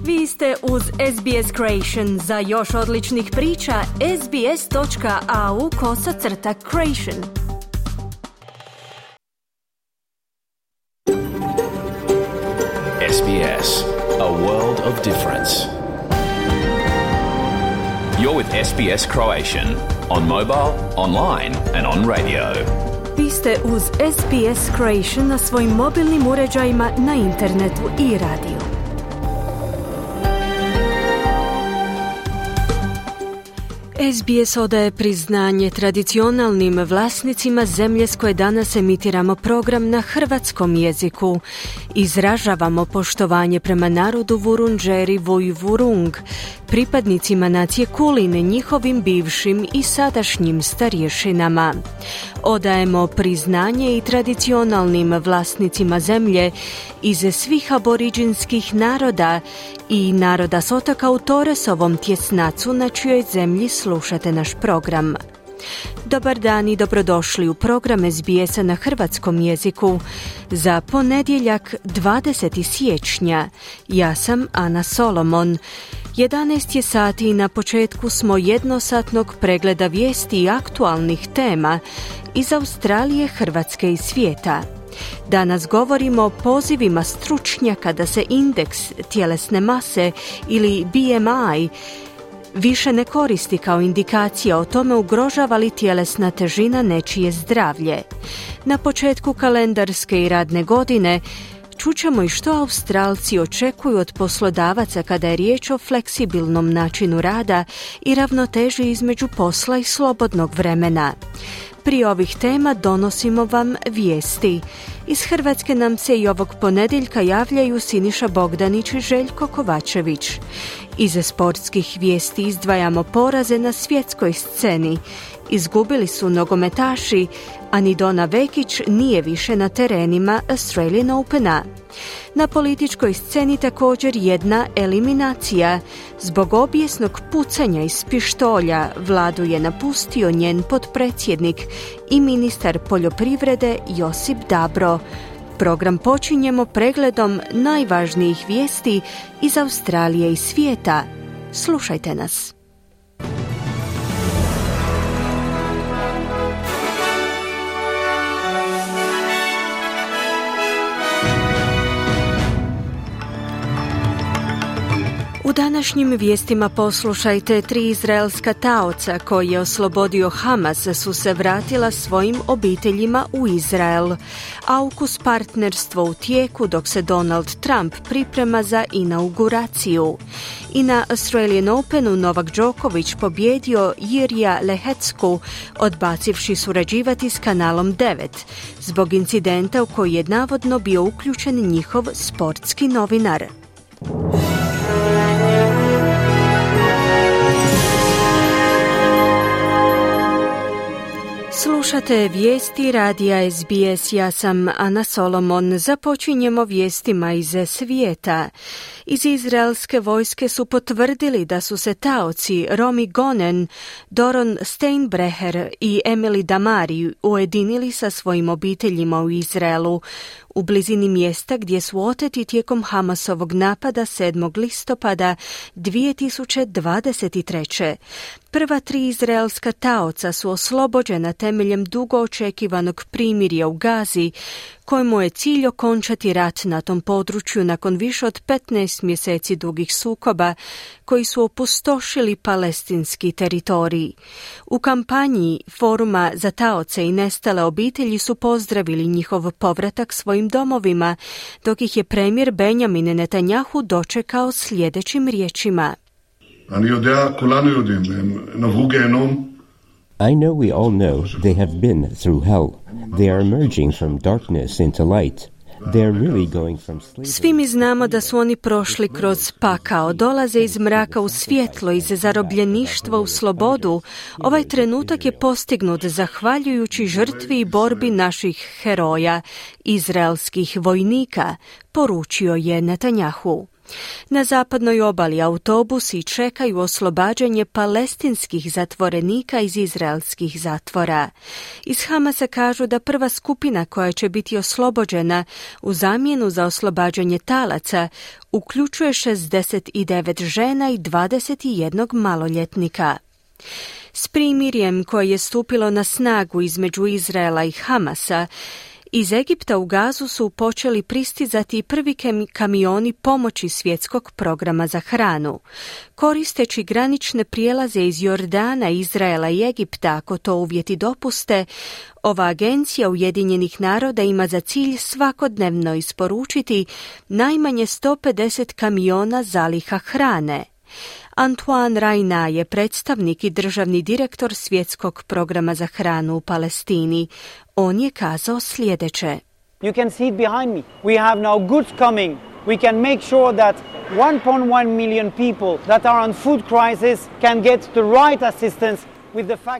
Vi ste uz SBS Creation. Za još odličnih priča, sbs.au/creation. SBS, a world of difference. You're with SBS Croatian on mobile, online and on radio. Vi ste uz SBS Creation na svojim mobilnim uređajima, na internetu i radiju. SBS odaje priznanje tradicionalnim vlasnicima zemlje s koje danas emitiramo program na hrvatskom jeziku. Izražavamo poštovanje prema narodu Vurundjeri Vojvurung, pripadnicima nacije Kulin, njihovim bivšim i sadašnjim starješinama. Odajemo priznanje i tradicionalnim vlasnicima zemlje iz svih aboriđinskih naroda i naroda s otoka u Torresovom tjesnacu na čijoj zemlji slušate naš program. Dobar dan i dobrodošli u program SBS-a na hrvatskom jeziku za ponedjeljak 20. siječnja. Ja sam Ana Solomon. 11 je sati i na početku smo jednosatnog pregleda vijesti i aktualnih tema iz Australije, Hrvatske i svijeta. Danas govorimo o pozivima stručnjaka da se indeks tjelesne mase ili BMI više ne koristi kao indikacija o tome ugrožava li tjelesna težina nečije zdravlje. Na početku kalendarske i radne godine čućemo i što Australci očekuju od poslodavaca kada je riječ o fleksibilnom načinu rada i ravnoteži između posla i slobodnog vremena. Prije ovih tema donosimo vam vijesti. Iz Hrvatske nam se i ovog ponedjeljka javljaju Siniša Bogdanić i Željko Kovačević. Iz sportskih vijesti izdvajamo poraze na svjetskoj sceni. Izgubili su nogometaši, a ni Dona Vekić nije više na terenima Australian Opena. Na političkoj sceni također jedna eliminacija. Zbog obijesnog pucanja iz pištolja vladu je napustio njen potpredsjednik i ministar poljoprivrede Josip Dabro. Program počinjemo pregledom najvažnijih vijesti iz Australije i svijeta. Slušajte nas. U današnjim vijestima poslušajte 3 izraelska taoca koje je oslobodio Hamas su se vratila svojim obiteljima u Izrael. AUKUS partnerstvo u tijeku dok se Donald Trump priprema za inauguraciju. I na Australian Openu Novak Đoković pobjedio Jirija Lehecku odbacivši surađivati s kanalom 9 zbog incidenta u koji je navodno bio uključen njihov sportski novinar. Slušate vijesti radija SBS, ja sam Ana Solomon. Započinjemo vijestima iz svijeta. Iz izraelske vojske su potvrdili da su se taoci Romi Gonen, Doron Steinbrecher i Emily Damari ujedinili sa svojim obiteljima u Izraelu, u blizini mjesta gdje su oteti tijekom Hamasovog napada 7. listopada 2023. Prva 3 izraelska taoca su oslobođena temeljem dugo očekivanog primirja u Gazi, kojemu je cilj okončati rat na tom području nakon više od 15 mjeseci dugih sukoba koji su opustošili palestinski teritorij. U kampanji Foruma za taoce i nestale obitelji su pozdravili njihov povratak svojim domovima, dok ih je premijer Benjamin Netanjahu dočekao sljedećim riječima. I know we all know they have been through hell. They are emerging from darkness into light. They are really going from slavery. Svi mi znamo da su oni prošli kroz pakao, dolaze iz mraka u svjetlo, iz zarobljeništva u slobodu. Ovaj trenutak je postignut zahvaljujući žrtvi i borbi naših heroja, izraelskih vojnika, poručio je Netanjahu. Na zapadnoj obali autobusi čekaju oslobađanje palestinskih zatvorenika iz izraelskih zatvora. Iz Hamasa kažu da prva skupina koja će biti oslobođena u zamjenu za oslobađanje talaca uključuje 69 žena i 21 maloljetnika. S primirjem koje je stupilo na snagu između Izraela i Hamasa, iz Egipta u Gazu su počeli pristizati prvi kamioni pomoći Svjetskog programa za hranu. Koristeći granične prijelaze iz Jordana, Izraela i Egipta, ako to uvjeti dopuste, ova agencija Ujedinjenih naroda ima za cilj svakodnevno isporučiti najmanje 150 kamiona zaliha hrane. Antoine Rayna je predstavnik i državni direktor Svjetskog programa za hranu u Palestini. On je kazao sljedeće. You can see it behind me. We have now goods coming. We can make sure that 1.1 million people that are on food crisis can get the right assistance.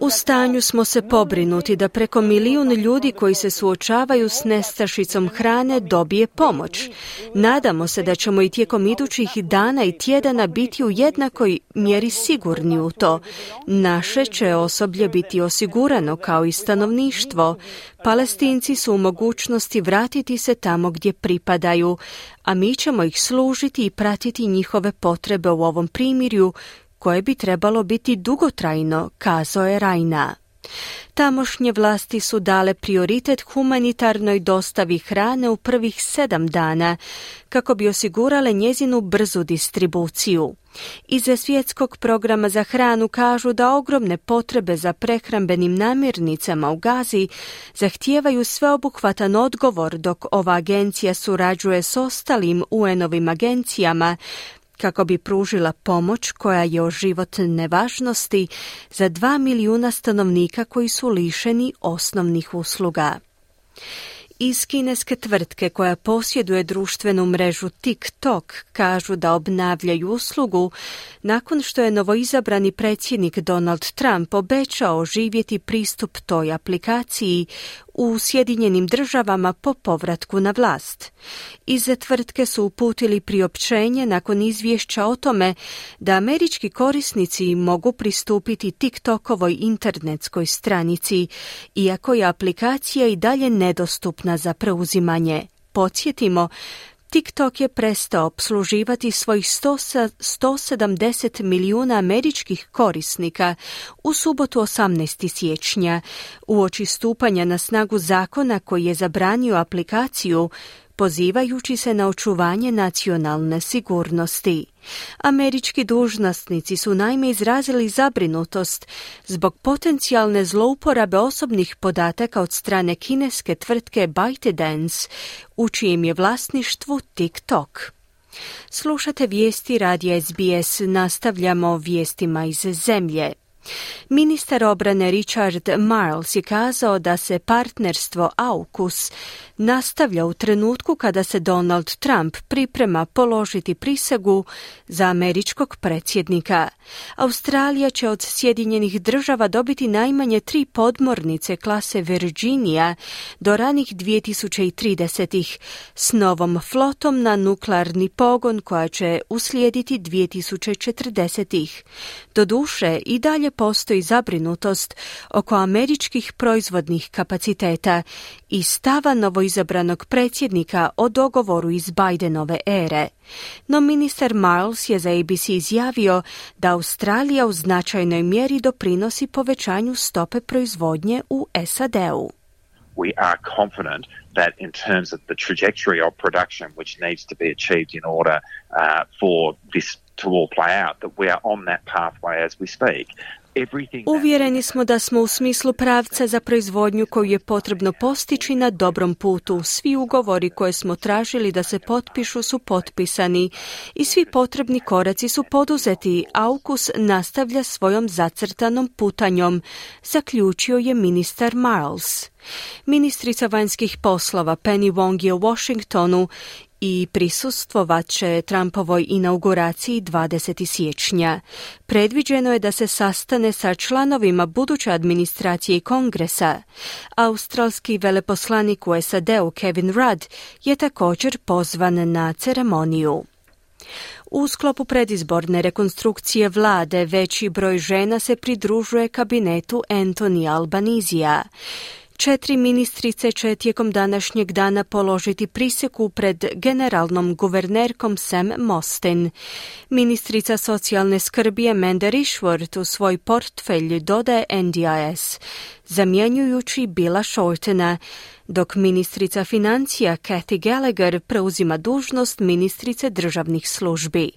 U stanju smo se pobrinuti da preko 1 milijun ljudi koji se suočavaju s nestašicom hrane dobije pomoć. Nadamo se da ćemo i tijekom idućih dana i tjedana biti u jednakoj mjeri sigurni u to. Naše će osoblje biti osigurano kao i stanovništvo. Palestinci su u mogućnosti vratiti se tamo gdje pripadaju, a mi ćemo ih služiti i pratiti njihove potrebe u ovom primirju koje bi trebalo biti dugotrajno, kazao je Rayna. Tamošnje vlasti su dale prioritet humanitarnoj dostavi hrane u prvih 7 dana, kako bi osigurale njezinu brzu distribuciju. Iz Svjetskog programa za hranu kažu da ogromne potrebe za prehrambenim namirnicama u Gazi zahtijevaju sveobuhvatan odgovor, dok ova agencija surađuje s ostalim UN-ovim agencijama kako bi pružila pomoć koja je od životne važnosti za 2 milijuna stanovnika koji su lišeni osnovnih usluga. Iz kineske tvrtke koja posjeduje društvenu mrežu TikTok kažu da obnavljaju uslugu nakon što je novoizabrani predsjednik Donald Trump obećao oživjeti pristup toj aplikaciji u Sjedinjenim Državama po povratku na vlast. Iz tvrtke su uputili priopćenje nakon izvješća o tome da američki korisnici mogu pristupiti TikTokovoj internetskoj stranici, iako je aplikacija i dalje nedostupna za preuzimanje. Podsjetimo, TikTok je prestao opsluživati svojih 170 milijuna američkih korisnika u subotu 18. siječnja, uoči stupanja na snagu zakona koji je zabranio aplikaciju, pozivajući se na očuvanje nacionalne sigurnosti. Američki dužnosnici su naime izrazili zabrinutost zbog potencijalne zlouporabe osobnih podataka od strane kineske tvrtke ByteDance, u čijem je vlasništvu TikTok. Slušate vijesti radija SBS, nastavljamo vijestima iz zemlje. Ministar obrane Richard Marles je kazao da se partnerstvo AUKUS nastavlja u trenutku kada se Donald Trump priprema položiti prisegu za američkog predsjednika. Australija će od Sjedinjenih Država dobiti najmanje 3 podmornice klase Virginia do ranih 2030-ih s novom flotom na nuklearni pogon koja će uslijediti 2040-ih. Doduše, i dalje postoji zabrinutost oko američkih proizvodnih kapaciteta i stava novoizabranog predsjednika o dogovoru iz Bidenove ere. No ministar Marles je za ABC izjavio da Australija u značajnoj mjeri doprinosi povećanju stope proizvodnje u SAD-u. We are confident that in terms of the trajectory of production which needs to be achieved in order for this to all play out, that we are on that pathway as we speak. Uvjereni smo da smo u smislu pravca za proizvodnju koju je potrebno postići na dobrom putu. Svi ugovori koje smo tražili da se potpišu su potpisani i svi potrebni koraci su poduzeti. AUKUS nastavlja svojom zacrtanom putanjom, zaključio je ministar Marles. Ministrica vanjskih poslova Penny Wong je u Washingtonu i prisustvovat će Trumpovoj inauguraciji 20. siječnja. Predviđeno je da se sastane sa članovima buduće administracije i kongresa. Australski veleposlanik u SAD-u Kevin Rudd je također pozvan na ceremoniju. U sklopu predizborne rekonstrukcije vlade veći broj žena se pridružuje kabinetu Anthony Albanizija. 4 ministrice će tijekom današnjeg dana položiti prisegu pred generalnom guvernerkom Sam Mostyn. Ministrica socijalne skrbi Amanda Rishworth u svoj portfelj dodaje NDIS, zamjenjujući Billa Shortena, dok ministrica financija Kathy Gallagher preuzima dužnost ministrice državnih službi.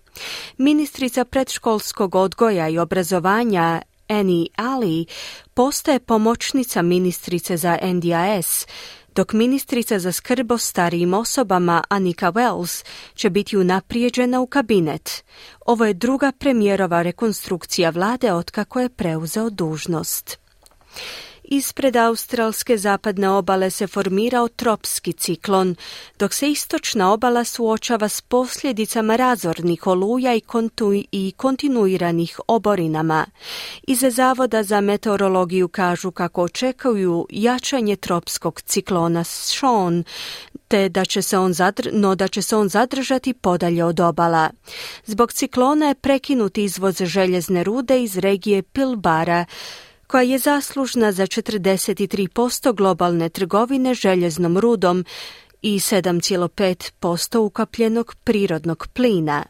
Ministrica predškolskog odgoja i obrazovanja Annie Ali postaje pomoćnica ministrice za NDIS, dok ministrica za skrb o starijim osobama Annika Wells će biti unaprijeđena u kabinet. Ovo je druga premijerova rekonstrukcija vlade otkako je preuzeo dužnost. Ispred australske zapadne obale se formirao tropski ciklon, dok se istočna obala suočava s posljedicama razornih oluja i kontinuiranih oborinama. Iz Zavoda za meteorologiju kažu kako očekuju jačanje tropskog ciklona Sean, te da će se on zadržati podalje od obala. Zbog ciklona je prekinut izvoz željezne rude iz regije Pilbara, koja je zaslužna za 43% globalne trgovine željeznom rudom i 7,5% ukapljenog prirodnog plina.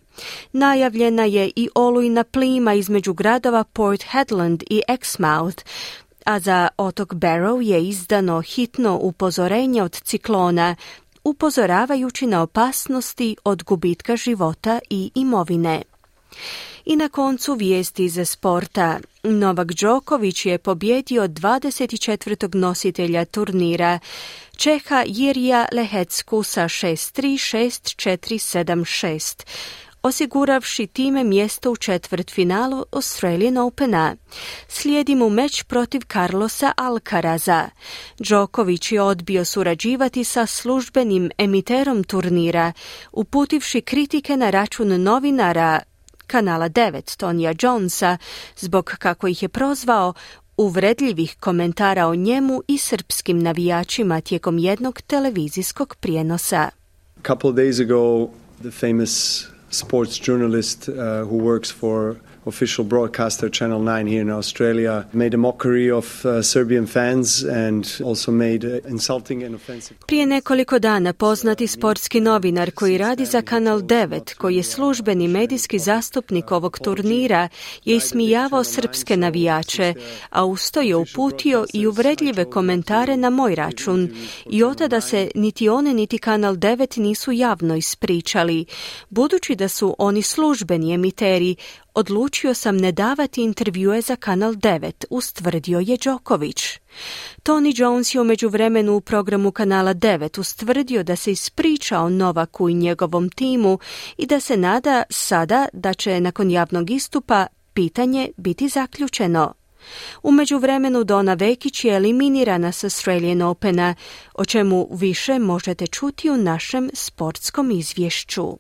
Najavljena je i olujna plima između gradova Port Hedland i Exmouth, a za otok Barrow je izdano hitno upozorenje od ciklona, upozoravajući na opasnosti od gubitka života i imovine. I na koncu vijesti iz sporta. Novak Đoković je pobjedio 24. nositelja turnira, Čeha Jirija Lehecku sa 6-3, 6-4, 7-6, osiguravši time mjesto u četvrtfinalu Australian Opena. Slijedi mu meč protiv Carlosa Alcaraza. Đoković je odbio surađivati sa službenim emiterom turnira, uputivši kritike na račun novinara Kanala 9 Tonija Jonesa zbog, kako ih je prozvao, uvredljivih komentara o njemu i srpskim navijačima tijekom jednog televizijskog prijenosa. A couple of days ago, the famous sports journalist who works for official broadcaster Channel 9 here in Australia made a mockery of Serbian fans and also made insulting and offensive. Prije nekoliko dana poznati sportski novinar koji radi za Kanal 9, koji je službeni medijski zastupnik ovog turnira, je ismijavao srpske navijače, a usto je uputio i uvredljive komentare na moj račun. I od tada se niti one niti Kanal 9 nisu javno ispričali. Budući da su oni službeni emiteri, odlučio sam ne davati intervjue za Kanal 9, ustvrdio je Đoković. Tony Jones je u međuvremenu u programu Kanala 9 ustvrdio da se ispričao Novaku i njegovom timu i da se nada sada da će nakon javnog istupa pitanje biti zaključeno. U međuvremenu Donna Vekić je eliminirana s Australian Opena, o čemu više možete čuti u našem sportskom izvješću.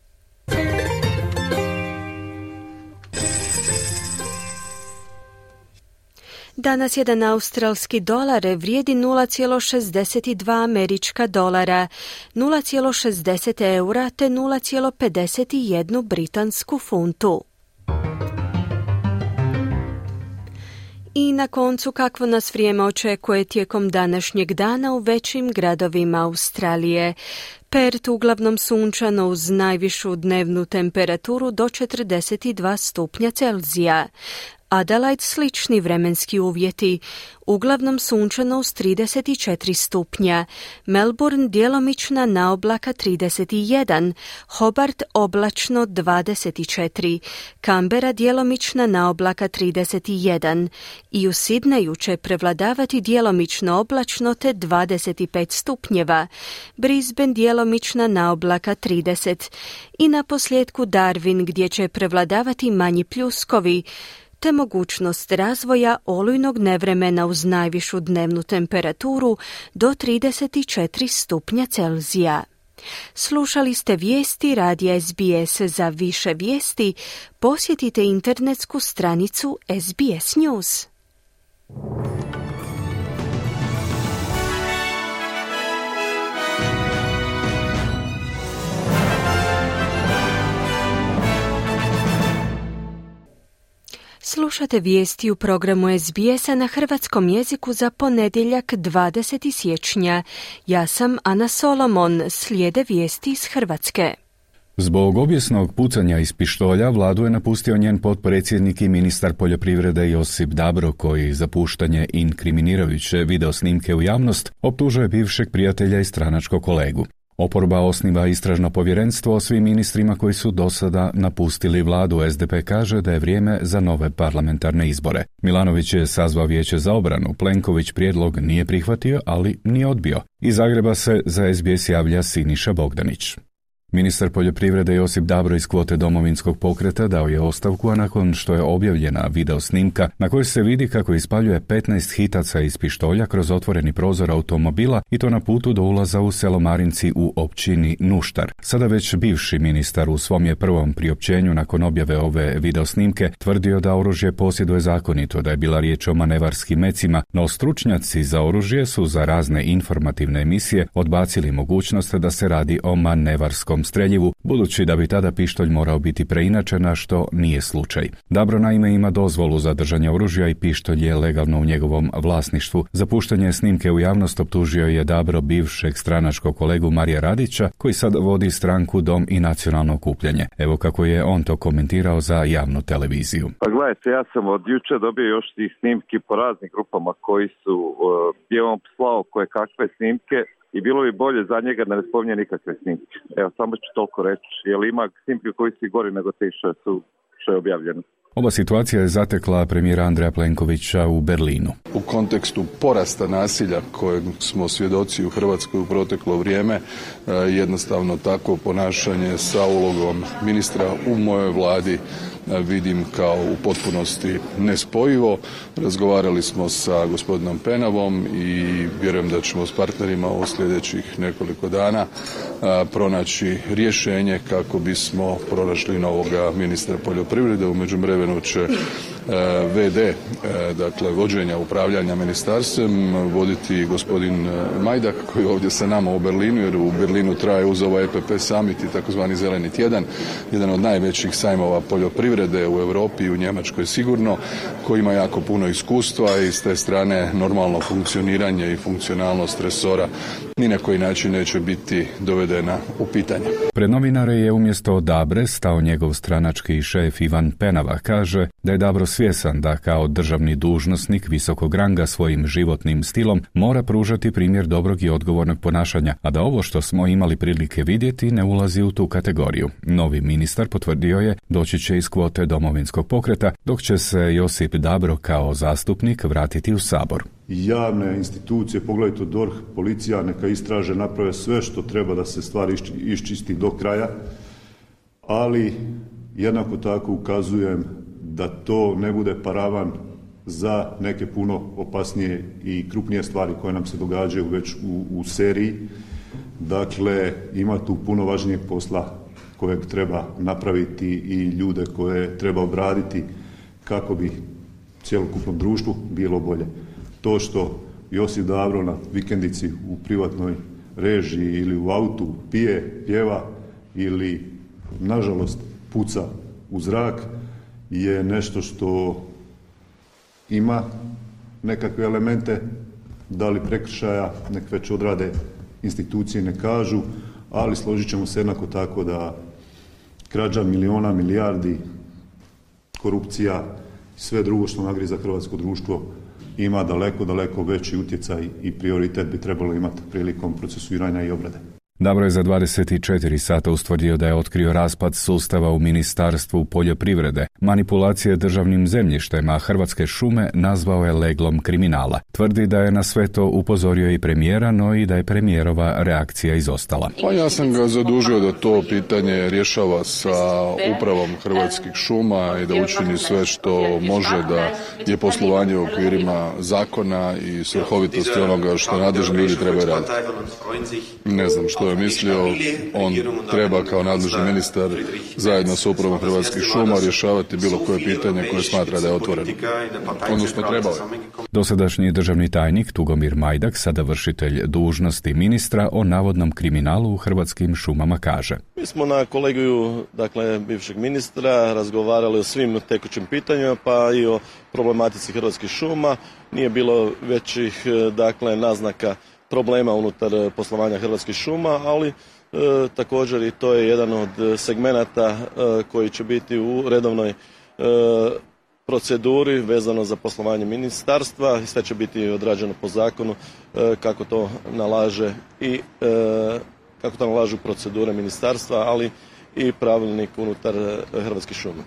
Danas jedan australski dolar vrijedi 0,62 američka dolara, 0,60 eura te 0,51 britansku funtu. I na koncu kakvo nas vrijeme očekuje tijekom današnjeg dana u većim gradovima Australije. Perth uglavnom sunčano uz najvišu dnevnu temperaturu do 42 stupnja Celzija. Adelaide slični vremenski uvjeti, uglavnom sunčano uz 34 stupnja, Melbourne djelomična naoblaka 31, Hobart oblačno 24, Canberra djelomična naoblaka 31 i u Sidneju će prevladavati djelomično oblačno te 25 stupnjeva, Brisbane djelomična naoblaka 30 i na posljedku Darwin gdje će prevladavati manji pljuskovi, te mogućnost razvoja olujnog nevremena uz najvišu dnevnu temperaturu do 34 stupnja Celzija. Slušali ste vijesti radija SBS. Za više vijesti posjetite internetsku stranicu SBS News. Slušate vijesti u programu SBS-a na hrvatskom jeziku za ponedjeljak 20. siječnja. Ja sam Ana Solomon, slijede vijesti iz Hrvatske. Zbog obijesnog pucanja iz pištolja vladu je napustio njen potpredsjednik i ministar poljoprivrede Josip Dabro, koji za puštanje inkriminirajuće videosnimke u javnost optužuje bivšeg prijatelja i stranačkog kolegu. Oporba osniva istražno povjerenstvo o svim ministrima koji su do sada napustili vladu. SDP kaže da je vrijeme za nove parlamentarne izbore. Milanović je sazvao vijeće za obranu. Plenković prijedlog nije prihvatio, ali nije odbio. Iz Zagreba se za SBS javlja Siniša Bogdanić. Ministar poljoprivrede Josip Dabro iz kvote Domovinskog pokreta dao je ostavku, a nakon što je objavljena videosnimka na kojoj se vidi kako ispaljuje 15 hitaca iz pištolja kroz otvoreni prozor automobila i to na putu do ulaza u selo Marinci u općini Nuštar. Sada već bivši ministar u svom je prvom priopćenju nakon objave ove videosnimke tvrdio da oružje posjeduje zakonito, da je bila riječ o manevarskim mecima, no stručnjaci za oružje su za razne informativne emisije odbacili mogućnost da se radi o manevarskom streljivu, budući da bi tada pištolj morao biti preinačen, a što nije slučaj. Dabro naime ima dozvolu za držanje oružja i pištolj je legalno u njegovom vlasništvu. Za puštanje snimke u javnost optužio je Dabro bivšeg stranačkog kolegu Marija Radića, koji sad vodi stranku Dom i nacionalno okupljanje. Evo kako je on to komentirao za javnu televiziju. Pa gledajte, ja sam od jučer dobio još tih snimki po raznim grupama koji su gdje on slao koje kakve snimke. I bilo bi bolje za njega da ne spominje nikakve snimke. Evo, samo ću toliko reći. Jer ima snimke koji su gori nego te što je objavljeno. Ova situacija je zatekla premijera Andreja Plenkovića u Berlinu. U kontekstu porasta nasilja kojeg smo svjedoci u Hrvatskoj u proteklo vrijeme, jednostavno takvo ponašanje sa ulogom ministra u mojoj vladi vidim kao u potpunosti nespojivo. Razgovarali smo sa gospodinom Penavom i vjerujem da ćemo s partnerima u sljedećih nekoliko dana pronaći rješenje kako bismo pronašli novoga ministra poljoprivrede. U međuvremenu će VD, dakle vođenja upravljanja ministarstvom, voditi gospodin Majdak koji je ovdje sa nama u Berlinu, jer u Berlinu traje uz ovaj EPP summit i takozvani zeleni tjedan, jedan od najvećih sajmova poljoprivrede u Europi i u Njemačkoj sigurno, koji ima jako puno iskustva i s te strane normalno funkcioniranje i funkcionalnost resora ni na koji način neće biti dovedena u pitanje. Pred novinare je umjesto Dabre stao njegov stranački šef Ivan Penava. Kaže da je Dabro svjesan da kao državni dužnosnik visokog ranga svojim životnim stilom mora pružati primjer dobrog i odgovornog ponašanja, a da ovo što smo imali prilike vidjeti ne ulazi u tu kategoriju. Novi ministar potvrdio je doći će iz kvote Domovinskog pokreta, dok će se Josip Dabro kao zastupnik vratiti u Sabor. Javne institucije, poglavito DORH, policija, neka istraže, naprave sve što treba da se stvari iščisti do kraja, ali jednako tako ukazujem da to ne bude paravan za neke puno opasnije i krupnije stvari koje nam se događaju već u seriji. Dakle, ima tu puno važnijeg posla kojeg treba napraviti i ljude koje treba obraditi kako bi cjelokupnom društvu bilo bolje. To što Josip Dabro na vikendici u privatnoj režiji ili u autu pije, pjeva ili nažalost puca u zrak je nešto što ima nekakve elemente, da li prekršaja, nek već odrade institucije ne kažu, ali složit ćemo se jednako tako da krađa miliona, milijardi, korupcija i sve drugo što nagriza hrvatsko društvo ima daleko veći utjecaj i prioritet bi trebalo imati prilikom procesuiranja i obrade. Dabro je za 24 sata ustvrdio da je otkrio raspad sustava u Ministarstvu poljoprivrede, manipulacije državnim zemljištem, a Hrvatske šume nazvao je leglom kriminala. Tvrdi da je na sve to upozorio i premijera, no i da je premijerova reakcija izostala. Pa ja sam ga zadužio da to pitanje rješava sa upravom Hrvatskih šuma i da učini sve što može da je poslovanje u okvirima zakona i svrhovitosti onoga što nadležni ljudi trebaju raditi. Ne znam što što je mislio, on treba kao nadležni ministar zajedno s upravom Hrvatskih šuma rješavati bilo koje pitanje koje smatra da je otvoreno. Odnosno trebao je. Dosadašnji državni tajnik Tugomir Majdak, sada vršitelj dužnosti ministra, o navodnom kriminalu u Hrvatskim šumama kaže: Mi smo na kolegiju, bivšeg ministra razgovarali o svim tekućim pitanjima, pa i o problematici Hrvatskih šuma. Nije bilo većih, naznaka problema unutar poslovanja Hrvatskih šuma, ali također i to je jedan od segmenata koji će biti u redovnoj proceduri vezano za poslovanje ministarstva i sve će biti odrađeno po zakonu kako to nalažu procedure ministarstva, ali i pravilnik unutar Hrvatskih šuma.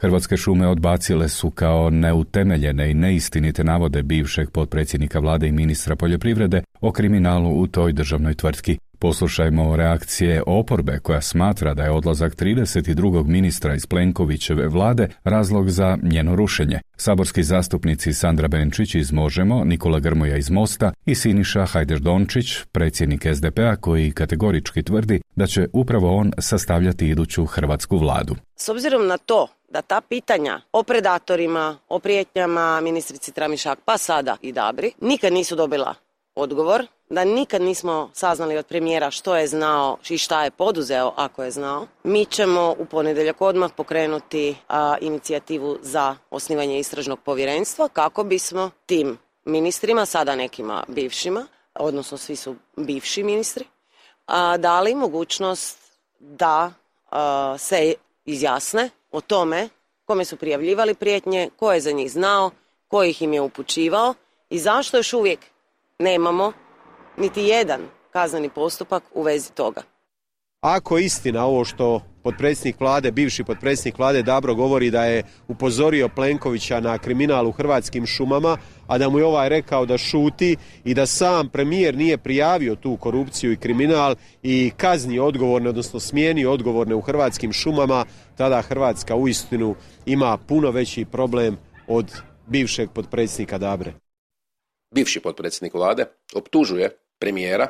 Hrvatske šume odbacile su kao neutemeljene i neistinite navode bivšeg potpredsjednika vlade i ministra poljoprivrede o kriminalu u toj državnoj tvrtki. Poslušajmo reakcije oporbe koja smatra da je odlazak 32. ministra iz Plenkovićeve vlade razlog za njeno rušenje. Saborski zastupnici Sandra Benčić iz Možemo, Nikola Grmoja iz Mosta i Siniša Hajdaš-Dončić, predsjednik SDP-a, koji kategorički tvrdi da će upravo on sastavljati iduću hrvatsku vladu. S obzirom na to da ta pitanja o predatorima, o prijetnjama ministrici Tramišak, pa sada i Dabri, nikad nisu dobila odgovor, da nikad nismo saznali od premijera što je znao i šta je poduzeo ako je znao, mi ćemo u ponedjeljak odmah pokrenuti inicijativu za osnivanje istražnog povjerenstva kako bismo tim ministrima, sada nekima bivšima, odnosno svi su bivši ministri, dali mogućnost da se izjasne o tome kome su prijavljivali prijetnje, ko je za njih znao, ko ih im je upućivao i zašto još uvijek nemamo niti jedan kazneni postupak u vezi toga. Ako je istina ovo što potpredsjednik vlade, bivši potpredsjednik vlade Dabro govori da je upozorio Plenkovića na kriminal u Hrvatskim šumama, a da mu je ovaj rekao da šuti i da sam premijer nije prijavio tu korupciju i kriminal i kaznio odgovorne, odnosno smijenio odgovorne u Hrvatskim šumama, tada Hrvatska uistinu ima puno veći problem od bivšeg potpredsjednika Dabre. Bivši potpredsjednik vlade optužuje premijera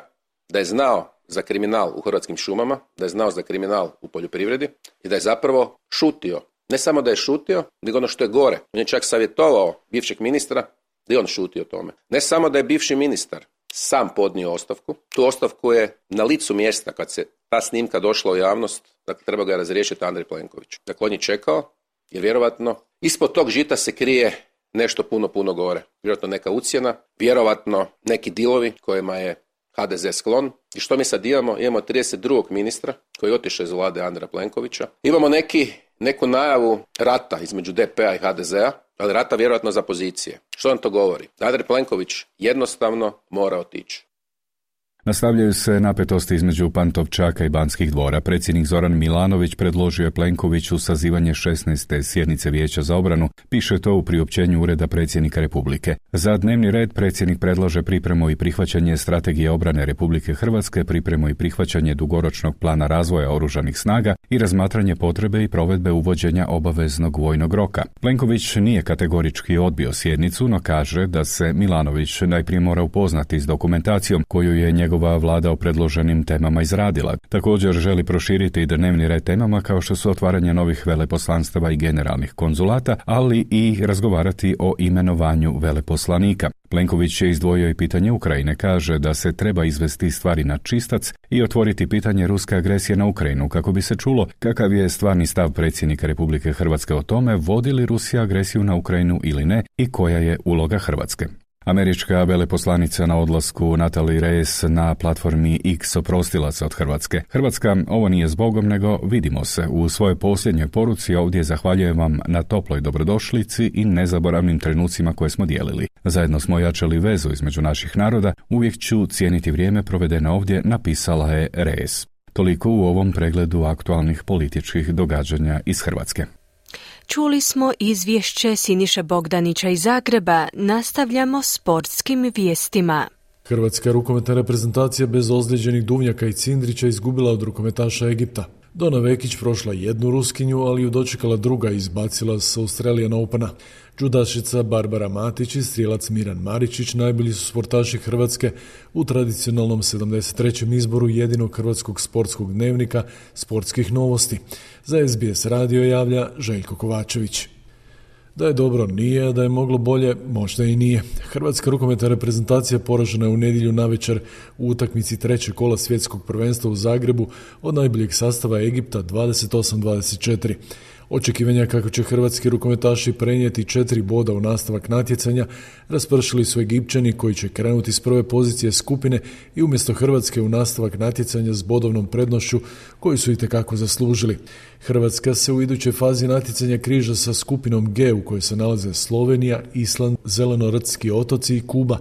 da je znao za kriminal u Hrvatskim šumama, da je znao za kriminal u poljoprivredi i da je zapravo šutio. Ne samo da je šutio, nego ono što je gore. On je čak savjetovao bivšeg ministra da i on šuti o tome. Ne samo da je bivši ministar sam podnio ostavku, tu ostavku je na licu mjesta kad se ta snimka došla u javnost, dakle treba ga razriješiti Andrej Plenković. Dakle, on je čekao jer vjerovatno ispod tog žita se krije nešto puno gore. Vjerojatno neka ucjena, vjerovatno neki dilovi kojima je HDZ sklon. I što mi sad imamo? Imamo 32. ministra koji je otišao iz vlade Andreja Plenkovića. Imamo neku najavu rata između DP-a i HDZ-a, ali rata vjerojatno za pozicije. Što nam to govori? Andrej Plenković jednostavno mora otići. Nastavljaju se napetosti između Pantovčaka i Banskih dvora. Predsjednik Zoran Milanović predložio je Plenkoviću sazivanje 16. sjednice Vijeća za obranu, piše to u priopćenju Ureda predsjednika Republike. Za dnevni red predsjednik predlaže pripremu i prihvaćanje strategije obrane Republike Hrvatske, pripremu i prihvaćanje dugoročnog plana razvoja oružanih snaga i razmatranje potrebe i provedbe uvođenja obaveznog vojnog roka. Plenković nije kategorički odbio sjednicu, no kaže da se Milanović najprije mora upoznati s dokumentacijom koju je njegova vlada o predloženim temama izradila. Također želi proširiti i dnevni red temama kao što su otvaranje novih veleposlanstava i generalnih konzulata, ali i razgovarati o imenovanju veleposlanika. Plenković je izdvojio i pitanje Ukrajine, kaže da se treba izvesti stvari na čistac i otvoriti pitanje ruske agresije na Ukrajinu kako bi se čulo kakav je stvarni stav predsjednika Republike Hrvatske o tome vodi li Rusija agresiju na Ukrajinu ili ne i koja je uloga Hrvatske. Američka veleposlanica na odlasku Natalie Reyes na platformi X oprostila se od Hrvatske. Hrvatska, ovo nije zbogom, nego vidimo se. U svojoj posljednjoj poruci ovdje zahvaljujem vam na toploj dobrodošlici i nezaboravnim trenucima koje smo dijelili. Zajedno smo jačali vezu između naših naroda, uvijek ću cijeniti vrijeme provedeno ovdje, napisala je Reyes. Toliko u ovom pregledu aktualnih političkih događanja iz Hrvatske. Čuli smo izvješće Siniše Bogdanića iz Zagreba. Nastavljamo sportskim vijestima. Hrvatska rukometna reprezentacija bez ozlijeđenih Duvnjaka i Cindrića izgubila od rukometaša Egipta. Dona Vekić prošla jednu Ruskinju, ali ju dočekala druga i izbacila s Australian Opena. Džudašica Barbara Matić i strijelac Miran Maričić najbolji su sportaši Hrvatske u tradicionalnom 73. izboru jedinog hrvatskog sportskog dnevnika Sportskih novosti. Za SBS radio javlja Željko Kovačević. Da je dobro nije, da je moglo bolje, možda i nije. Hrvatska rukometna reprezentacija poražena je u nedjelju navečer u utakmici trećeg kola svjetskog prvenstva u Zagrebu od najboljeg sastava Egipta 28-24. Očekivanja kako će hrvatski rukometaši prenijeti 4 boda u nastavak natjecanja raspršili su Egipćani koji će krenuti s prve pozicije skupine i umjesto Hrvatske u nastavak natjecanja s bodovnom prednošću koju su itekako zaslužili. Hrvatska se u idućoj fazi natjecanja križa sa skupinom G u kojoj se nalaze Slovenija, Island, Zelenorodski otoci i Kuba.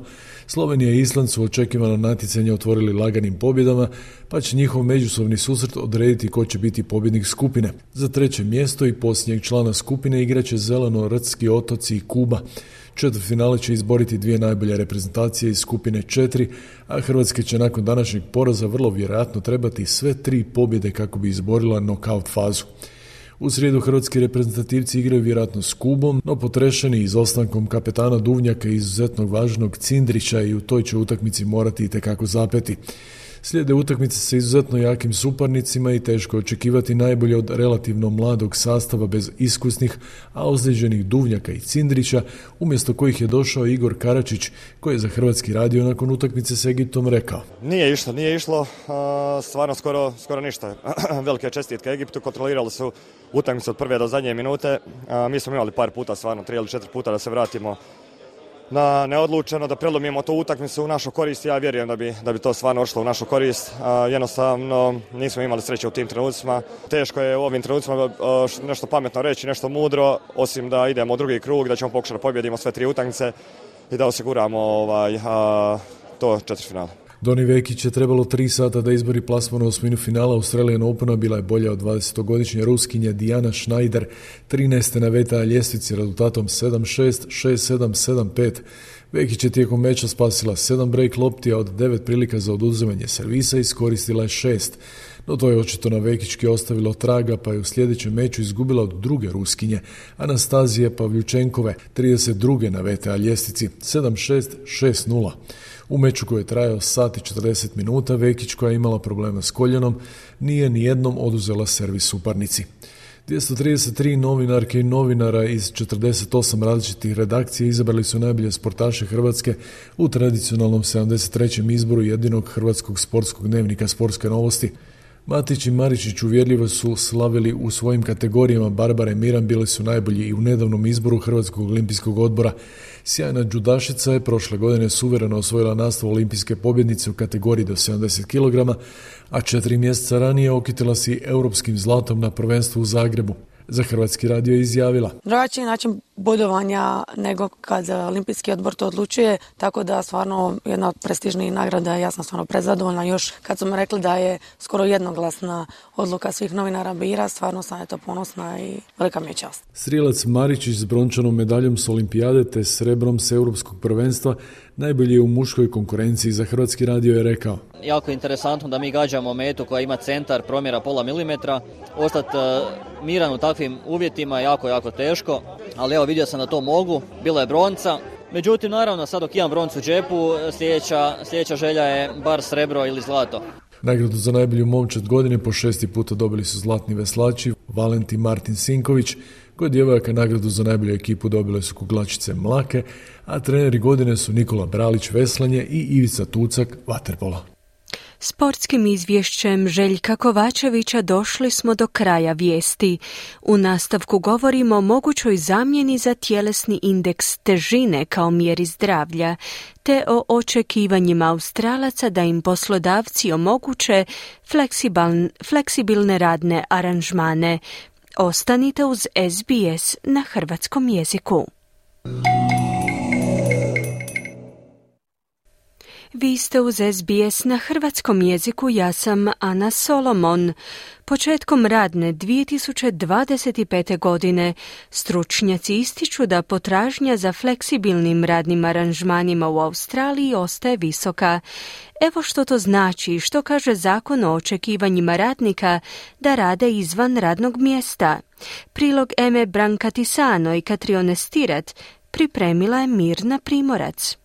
Slovenija i Island su očekivano natjecanje otvorili laganim pobjedama, pa će njihov međusobni susret odrediti ko će biti pobjednik skupine. Za treće mjesto i posljednjeg člana skupine igraće Zelenorodski otoci i Kuba. Četvrtfinale će izboriti dvije najbolje reprezentacije iz skupine 4, a Hrvatska će nakon današnjeg poraza vrlo vjerojatno trebati sve 3 pobjede kako bi izborila nokaut fazu. U srijedu hrvatski reprezentativci igraju vjerojatno s Kubom, no potrešeni izostankom kapetana Duvnjaka i izuzetnog važnog Cindrića i u toj će utakmici morati itekako zapeti. Slijede utakmice sa izuzetno jakim suparnicima i teško je očekivati najbolje od relativno mladog sastava bez iskusnih, a ozlijeđenih Duvnjaka i Cindrića, umjesto kojih je došao Igor Karačić, koji je za Hrvatski radio nakon utakmice s Egiptom rekao. Nije išlo, stvarno skoro ništa. Velike čestitke Egiptu, kontrolirali su utakmicu od prve do zadnje minute. Mi smo imali par puta, stvarno 3 ili 4 puta da se vratimo na neodlučeno, da prelomimo tu utakmicu u našu korist. Ja vjerujem da bi to stvarno ošlo u našu korist. Jednostavno nismo imali sreće u tim trenucima. Teško je u ovim trenucima nešto pametno reći, nešto mudro, osim da idemo u drugi krug, da ćemo pokušati da pobjedimo sve 3 utakmice i da osiguramo to četvrtfinale. Doni Vekić je trebalo 3 sata da izbori plasman u osminu finala Australian Opena, bila je bolja od 20-godišnje Ruskinja Diana Schneider, 13. na VTA ljestvici rezultatom 7-6, 6-7, 7-5. Vekić je tijekom meča spasila 7 break lopti, a od 9 prilika za oduzimanje servisa iskoristila je 6. No to je očito na Vekićki ostavilo traga, pa je u sljedećem meču izgubila od druge Ruskinje, Anastazije Pavljučenkove, 32. na VTA ljestvici, 7-6, 6-0. U meču koji je trajao sat i 40 minuta, Vekić, koja je imala problema s koljenom, nije nijednom oduzela servis suparnici. 233 novinarke i novinara iz 48 različitih redakcija izabrali su najbolje sportaše Hrvatske u tradicionalnom 73. izboru jedinog hrvatskog sportskog dnevnika Sportske novosti. Matić i Maričić uvjerljivo su slavili u svojim kategorijama. Barbara i Miran bili su najbolji i u nedavnom izboru Hrvatskog olimpijskog odbora. Sjajna džudašica je prošle godine suvereno osvojila naslov olimpijske pobjednice u kategoriji do 70 kg, a 4 mjeseca ranije okitila si europskim zlatom na prvenstvu u Zagrebu. Za Hrvatski radio je izjavila: drugačiji način bodovanja nego kad olimpijski odbor to odlučuje, tako da stvarno jedna od prestižnijih nagrada, ja sam stvarno prezadovoljna. Još kad su mi rekli da je skoro jednoglasna odluka svih novinara bira, stvarno sam eto ponosna i velika mi je čast. Strijelac Maričić s brončanom medaljom s olimpijade te srebrom s europskog prvenstva najbolji je u muškoj konkurenciji. Za Hrvatski radio je rekao: jako interesantno da mi gađamo metu koja ima centar promjera pola milimetra. Ostati miran u takvim uvjetima je jako teško, ali evo vidio sam da to mogu. Bila je bronca. Međutim, naravno, sad dok imam broncu u džepu, sljedeća želja je bar srebro ili zlato. Nagradu za najbolju momčad godine po 6. puta dobili su zlatni veslači Valentin Martin Sinković. Kod djevojaka nagradu za najbolju ekipu dobile su kuglačice Mlake, a treneri godine su Nikola Bralić veslanje i Ivica Tucak vaterpola. Sportskim izvješćem Željka Kovačevića došli smo do kraja vijesti. U nastavku govorimo o mogućoj zamjeni za tjelesni indeks težine kao mjeri zdravlja, te o očekivanjima Australaca da im poslodavci omoguće fleksibilne radne aranžmane. Ostanite uz SBS na hrvatskom jeziku. Vi ste uz SBS na hrvatskom jeziku, ja sam Ana Solomon. Početkom radne 2025. godine stručnjaci ističu da potražnja za fleksibilnim radnim aranžmanima u Australiji ostaje visoka. Evo što to znači i što kaže zakon o očekivanjima radnika da rade izvan radnog mjesta. Prilog Eme Brankatisano i Katrione Stirat pripremila je Mirna Primorac.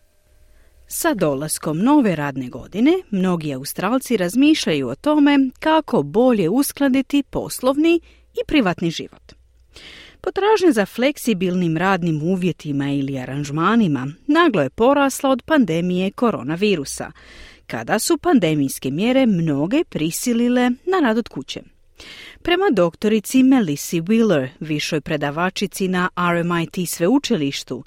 Sa dolaskom nove radne godine, mnogi Australci razmišljaju o tome kako bolje uskladiti poslovni i privatni život. Potražnja za fleksibilnim radnim uvjetima ili aranžmanima naglo je porasla od pandemije koronavirusa, kada su pandemijske mjere mnoge prisilile na rad od kuće. Prema doktorici Melissa Wheeler, višoj predavačici na RMIT sveučilištu,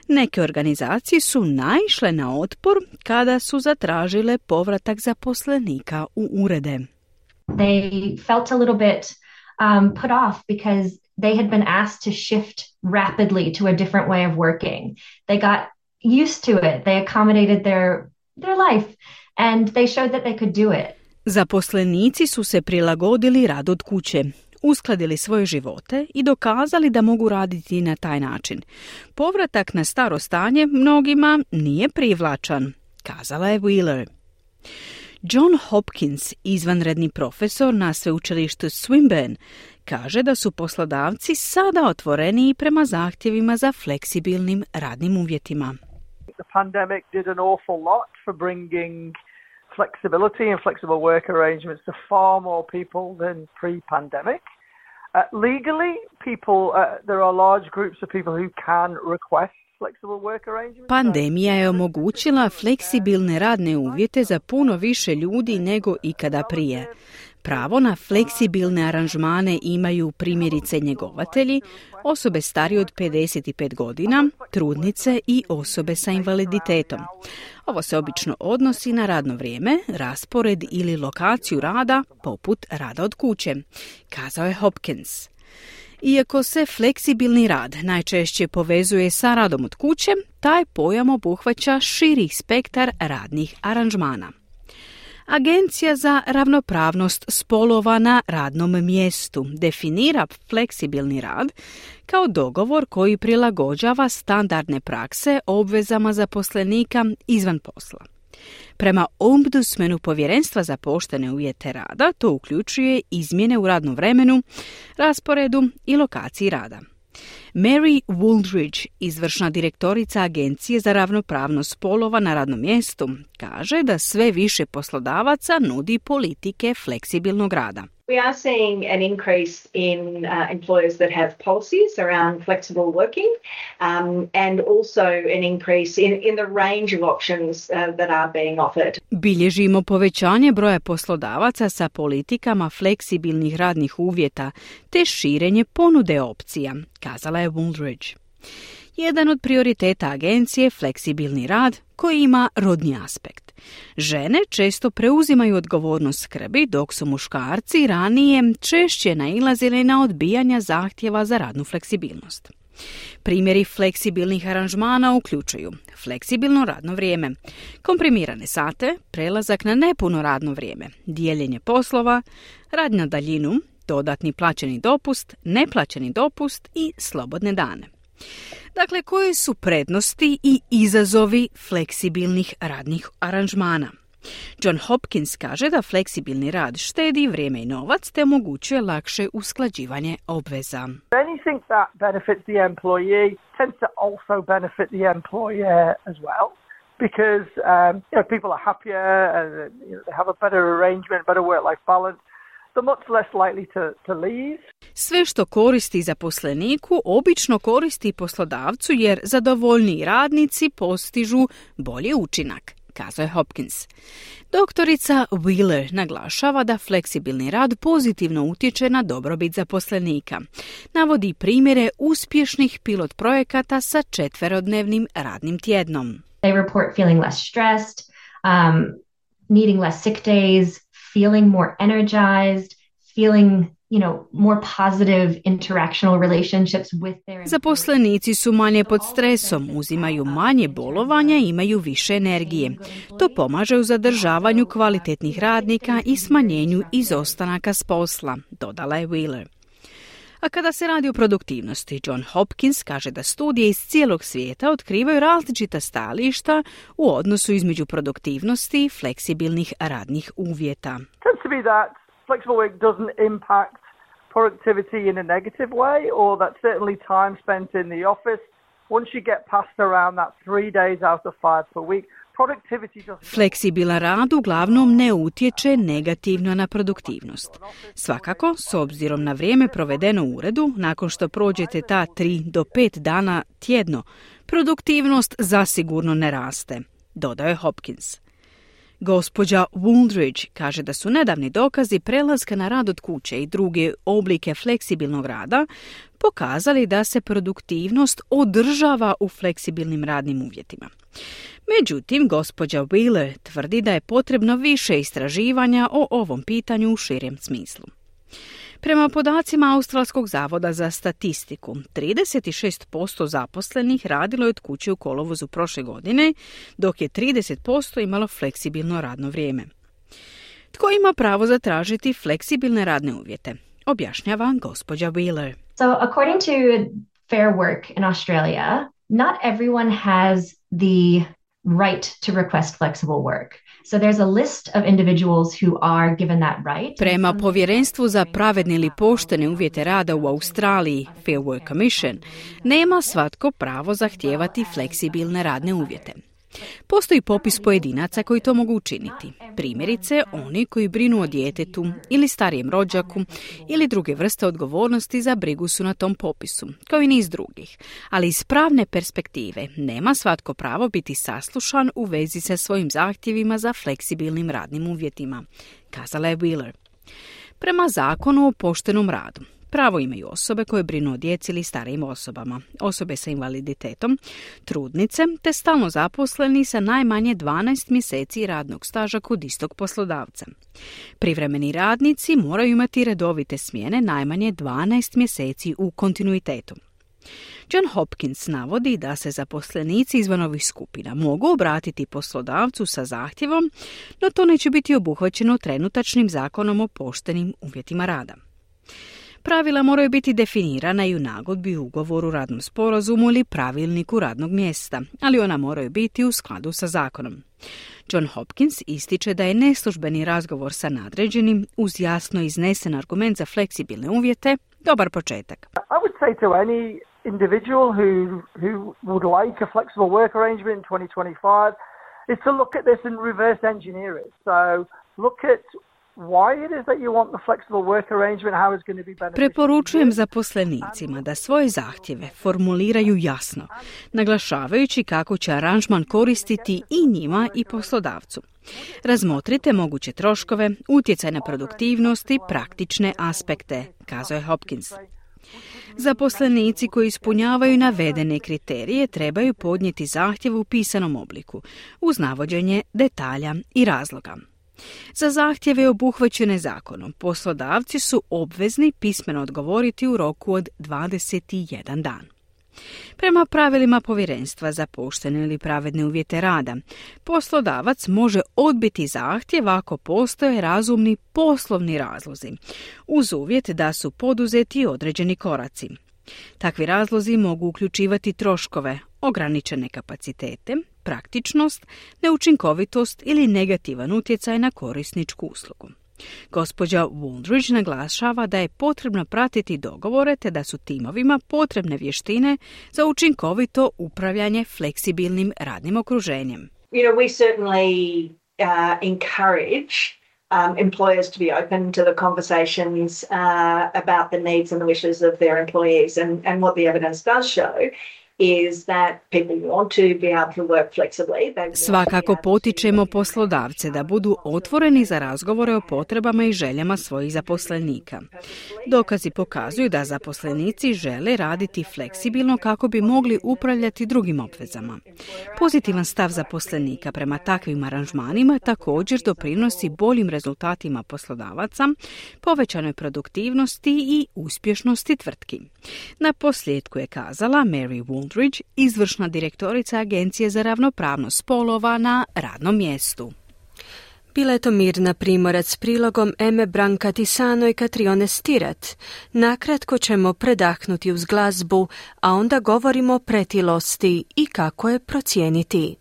neke organizacije su naišle na otpor kada su zatražile povratak zaposlenika u urede. They felt a little bit put off because they had been asked to shift rapidly to a different way of working. They got used to it. They accommodated their life and they showed that they could do it. Zaposlenici su se prilagodili radu od kuće, uskladili svoje živote i dokazali da mogu raditi na taj način. Povratak na staro stanje mnogima nije privlačan, kazala je Wheeler. John Hopkins, izvanredni profesor na sveučilištu Swinburne, kaže da su poslodavci sada otvoreni prema zahtjevima za fleksibilnim radnim uvjetima. The pandemic did an awful lot for bringing flexibility and flexible work arrangements to far more people than pre-pandemic. Legally, there are large groups of people who can request flexible work arrangements. Pandemija je omogućila fleksibilne radne uvjete za puno više ljudi nego ikada prije. Pravo na fleksibilne aranžmane imaju primjerice njegovatelji, osobe starije od 55 godina, trudnice i osobe sa invaliditetom. Ovo se obično odnosi na radno vrijeme, raspored ili lokaciju rada, poput rada od kuće, kazao je Hopkins. Iako se fleksibilni rad najčešće povezuje sa radom od kuće, taj pojam obuhvaća širi spektar radnih aranžmana. Agencija za ravnopravnost spolova na radnom mjestu definira fleksibilni rad kao dogovor koji prilagođava standardne prakse obvezama zaposlenika izvan posla. Prema ombudsmanu Povjerenstva za poštene uvjete rada, to uključuje izmjene u radnom vremenu, rasporedu i lokaciji rada. Mary Wooldridge, izvršna direktorica Agencije za ravnopravnost spolova na radnom mjestu, kaže da sve više poslodavaca nudi politike fleksibilnog rada. We are seeing an increase in employers that have policies around flexible working and also an increase in the range of options that are being offered. Bilježimo povećanje broja poslodavaca sa politikama fleksibilnih radnih uvjeta te širenje ponude opcija, kazala je Wooldridge. Jedan od prioriteta agencije je fleksibilni rad koji ima rodni aspekt. Žene često preuzimaju odgovornost skrbi, dok su muškarci ranije češće nailazili na odbijanja zahtjeva za radnu fleksibilnost. Primjeri fleksibilnih aranžmana uključuju fleksibilno radno vrijeme, komprimirane sate, prelazak na nepuno radno vrijeme, dijeljenje poslova, rad na daljinu, dodatni plaćeni dopust, neplaćeni dopust i slobodne dane. Dakle, koje su prednosti i izazovi fleksibilnih radnih aranžmana? John Hopkins kaže da fleksibilni rad štedi vrijeme i novac te omogućuje lakše usklađivanje obveza. Anything that benefits the employee tends to also benefit the employer as well. Because people are happier and they have a better arrangement, better work-life balance. Much less likely to leave. Sve što koristi zaposleniku obično koristi poslodavcu jer zadovoljniji radnici postižu bolji učinak, kazao je Hopkins. Doktorica Wheeler naglašava da fleksibilni rad pozitivno utječe na dobrobit zaposlenika. Navodi primjere uspješnih pilot projekata sa 4-dnevnim radnim tjednom. They report feeling less stressed, needing less sick days, feeling more energized, feeling more positive interactional relationships with their... Zaposlenici su manje pod stresom, uzimaju manje bolovanja i imaju više energije. To pomaže u zadržavanju kvalitetnih radnika i smanjenju izostanaka s posla, dodala je Wheeler. A kada se radi o produktivnosti, John Hopkins kaže da studije iz cijelog svijeta otkrivaju različita stajališta u odnosu između produktivnosti i fleksibilnih radnih uvjeta. Flexible work doesn't impact productivity in a negative way, or that certainly time spent in the office. Once you get past around that 3 days out of 5 per week, productivity doesn't... Fleksibilan rad uglavnom ne utječe negativno na produktivnost. Svakako, s obzirom na vrijeme provedeno u uredu, nakon što prođete ta 3 do 5 dana tjedno, produktivnost zasigurno ne raste, dodao je Hopkins. Gospođa Wooldridge kaže da su nedavni dokazi prelaska na rad od kuće i druge oblike fleksibilnog rada pokazali da se produktivnost održava u fleksibilnim radnim uvjetima. Međutim, gospođa Wheeler tvrdi da je potrebno više istraživanja o ovom pitanju u širem smislu. Prema podacima Australskog zavoda za statistiku, 36% zaposlenih radilo je od kuće u kolovozu prošle godine, dok je 30% imalo fleksibilno radno vrijeme. Tko ima pravo zatražiti fleksibilne radne uvjete? Objašnjava gospođa Wheeler. So, according to Fair Work in Australia, not everyone has the right to request flexible work. So there's a list of individuals who are given that right. Prema Povjerenstvu za pravedne ili poštene uvjete rada u Australiji, Fair Work Commission, nema svatko pravo zahtijevati fleksibilne radne uvjete. Postoji popis pojedinaca koji to mogu učiniti. Primjerice, oni koji brinu o djetetu ili starijem rođaku ili druge vrste odgovornosti za brigu su na tom popisu, kao i niz drugih. Ali iz pravne perspektive nema svatko pravo biti saslušan u vezi sa svojim zahtjevima za fleksibilnim radnim uvjetima, kazala je Wheeler. Prema zakonu o poštenom radu, pravo imaju osobe koje brinu o djeci ili starijim osobama, osobe sa invaliditetom, trudnice te stalno zaposleni sa najmanje 12 mjeseci radnog staža kod istog poslodavca. Privremeni radnici moraju imati redovite smjene najmanje 12 mjeseci u kontinuitetu. John Hopkins navodi da se zaposlenici izvan ovih skupina mogu obratiti poslodavcu sa zahtjevom, no to neće biti obuhvaćeno trenutačnim zakonom o poštenim uvjetima rada. Pravila moraju biti definirana i u nagodbi, ugovoru, radnom sporazumu ili pravilniku radnog mjesta, ali ona moraju biti u skladu sa zakonom. John Hopkins ističe da je neslužbeni razgovor sa nadređenim uz jasno iznesen argument za fleksibilne uvjete dobar početak. I would say to any individual who would like a flexible work arrangement in 2025 is to look at this and reverse engineer it. So look at why it is that you want the flexible work arrangement, how it's going to be beneficial. Preporučujem zaposlenicima da svoje zahtjeve formuliraju jasno, naglašavajući kako će aranžman koristiti i njima i poslodavcu. Razmotrite moguće troškove, utjecaj na produktivnost i praktične aspekte, kazao je Hopkins. Zaposlenici koji ispunjavaju navedene kriterije trebaju podnijeti zahtjev u pisanom obliku, uz navođenje detalja i razloga. Za zahtjeve obuhvaćene zakonom, poslodavci su obvezni pismeno odgovoriti u roku od 21 dan. Prema pravilima Povjerenstva za poštene ili pravedne uvjete rada, poslodavac može odbiti zahtjev ako postoje razumni poslovni razlozi, uz uvjet da su poduzeti određeni koraci. Takvi razlozi mogu uključivati troškove, ograničene kapacitete, praktičnost, neučinkovitost ili negativan utjecaj na korisničku uslugu. Gospođa Wooldridge naglašava da je potrebno pratiti dogovore te da su timovima potrebne vještine za učinkovito upravljanje fleksibilnim radnim okruženjem. We certainly encourage employers to be open to the conversations about the needs and the wishes of their employees, and what the evidence does show is that people want to be able to work flexibly. Svakako potičemo poslodavce da budu otvoreni za razgovore o potrebama i željama svojih zaposlenika. Dokazi pokazuju da zaposlenici žele raditi fleksibilno kako bi mogli upravljati drugim obvezama. Pozitivan stav zaposlenika prema takvim aranžmanima također doprinosi boljim rezultatima poslodavaca, povećanoj produktivnosti i uspješnosti tvrtki. Na posljedku je kazala Mary Wooldridge, izvršna direktorica Agencije za ravnopravnost spolova na radnom mjestu. Bila je to Mirna Primorac s prilogom Eme Brancatisano i Catrione Stirat. Nakratko ćemo predahnuti uz glazbu, a onda govorimo o pretilosti i kako je procijeniti.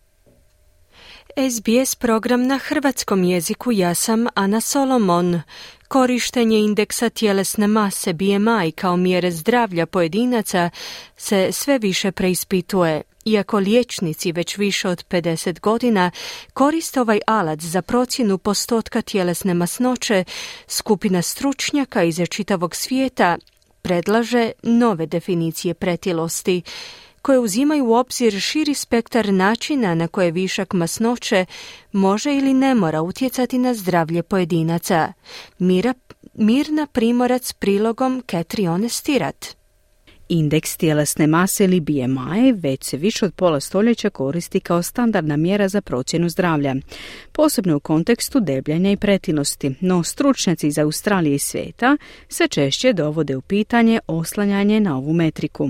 SBS program na hrvatskom jeziku, ja sam Ana Solomon. Korištenje indeksa tjelesne mase BMI kao mjere zdravlja pojedinaca se sve više preispituje. Iako liječnici već više od 50 godina koriste ovaj alat za procjenu postotka tjelesne masnoće, skupina stručnjaka iz čitavog svijeta predlaže nove definicije pretilosti, koje uzimaju u obzir širi spektar načina na koje višak masnoće može ili ne mora utjecati na zdravlje pojedinaca. Mirna Primorac s prilogom Catrione Stirat. Indeks tjelesne mase ili BMI već se više od pola stoljeća koristi kao standardna mjera za procjenu zdravlja, posebno u kontekstu debljanja i pretilosti, no stručnjaci iz Australije i svijeta sve češće dovode u pitanje oslanjanje na ovu metriku.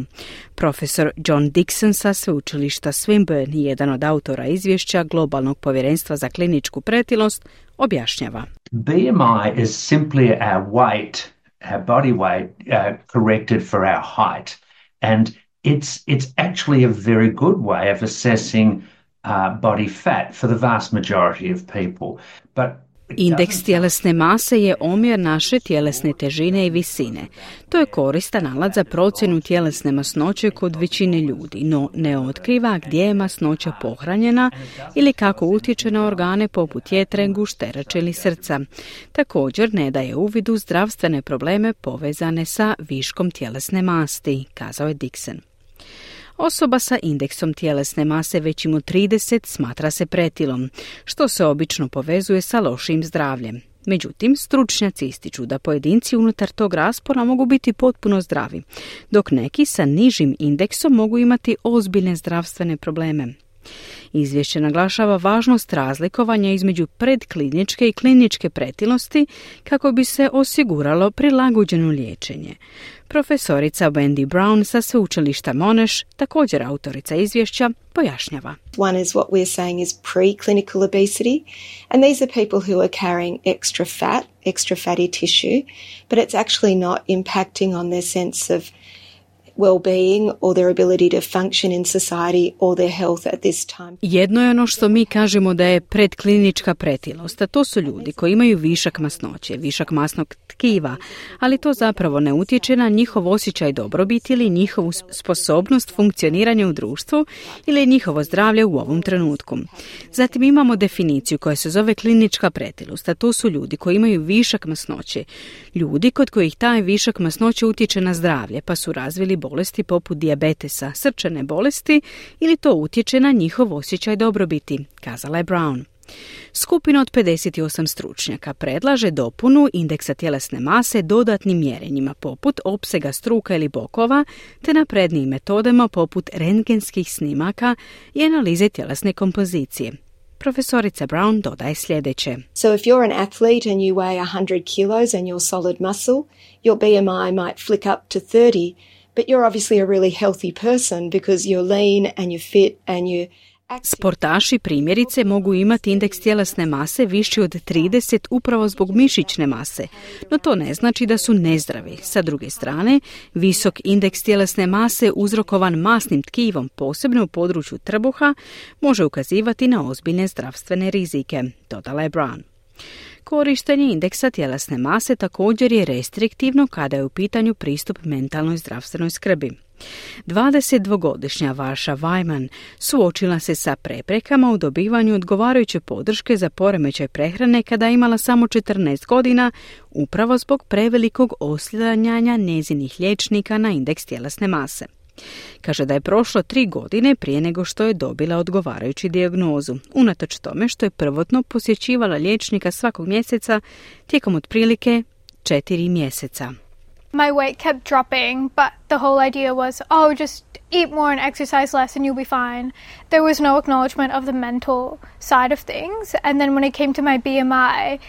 Profesor John Dixon sa sveučilišta Swinburne, jedan od autora izvješća Globalnog povjerenstva za kliničku pretilost, objašnjava. BMI is simply our weight, our body weight corrected for our height, and it's actually a very good way of assessing body fat for the vast majority of people. But Indeks tjelesne mase je omjer naše tjelesne težine i visine. To je koristan alat za procjenu tjelesne masnoće kod većine ljudi, no ne otkriva gdje je masnoća pohranjena ili kako utječe na organe poput jetre, gušterače ili srca. Također ne daje uvid u zdravstvene probleme povezane sa viškom tjelesne masti, kazao je Dixon. Osoba sa indeksom tjelesne mase većim od 30 smatra se pretilom, što se obično povezuje sa lošim zdravljem. Međutim, stručnjaci ističu da pojedinci unutar tog raspona mogu biti potpuno zdravi, dok neki sa nižim indeksom mogu imati ozbiljne zdravstvene probleme. Izvješće naglašava važnost razlikovanja između predkliničke i kliničke pretilosti kako bi se osiguralo prilagođeno liječenje. Profesorica Wendy Brown sa sveučilišta Monash, također autorica izvješća, pojašnjava. One is what we're saying is preclinical obesity, and these are people who are carrying extra fatty tissue, but it's actually not impacting on their sense of well-being or their ability to function in society or their health at this time. Jedno je ono što mi kažemo da je predklinička pretilost, a to su ljudi koji imaju višak masnoće, višak masnog tkiva, ali to zapravo ne utječe na njihov osjećaj dobrobiti ili njihovu sposobnost funkcioniranja u društvu ili njihovo zdravlje u ovom trenutku. Zatim imamo definiciju koja se zove klinička pretilost, a to su ljudi koji imaju višak masnoće, ljudi kod kojih taj višak masnoće utječe na zdravlje, pa su razvili bolesti poput dijabetesa, srčane bolesti ili to utječe na njihov osjećaj dobrobiti, kazala je Brown. Skupina od 58 stručnjaka predlaže dopunu indeksa tjelesne mase dodatnim mjerenjima poput opsega struka ili bokova te naprednijim metodama poput rentgenskih snimaka i analize tjelesne kompozicije. Profesorica Brown dodaje sljedeće. So if you're an athlete and you weigh 100 kilos and you're solid muscle, your BMI might flick up to 30, but you're obviously a really healthy person because you're lean and you're fit and you're Sportaši primjerice mogu imati indeks tjelesne mase viši od 30 upravo zbog mišićne mase, no to ne znači da su nezdravi. Sa druge strane, visok indeks tjelesne mase uzrokovan masnim tkivom, posebno u području trbuha, može ukazivati na ozbiljne zdravstvene rizike, dodala je Brown. Korištenje indeksa tjelesne mase također je restriktivno kada je u pitanju pristup mentalnoj zdravstvenoj skrbi. 22-godišnja Vaša Vajman suočila se sa preprekama u dobivanju odgovarajuće podrške za poremećaj prehrane kada je imala samo 14 godina, upravo zbog prevelikog oslanjanja njezinih liječnika na indeks tjelesne mase. Kaže da je prošlo 3 godine prije nego što je dobila odgovarajuću dijagnozu, unatoč tome što je prvotno posjećivala liječnika svakog mjeseca tijekom otprilike 4 mjeseca. My weight kept dropping, but the whole idea was, just eat more and exercise less and you'll be fine. There was no acknowledgement of the mental side of things. And then when it came to my BMI,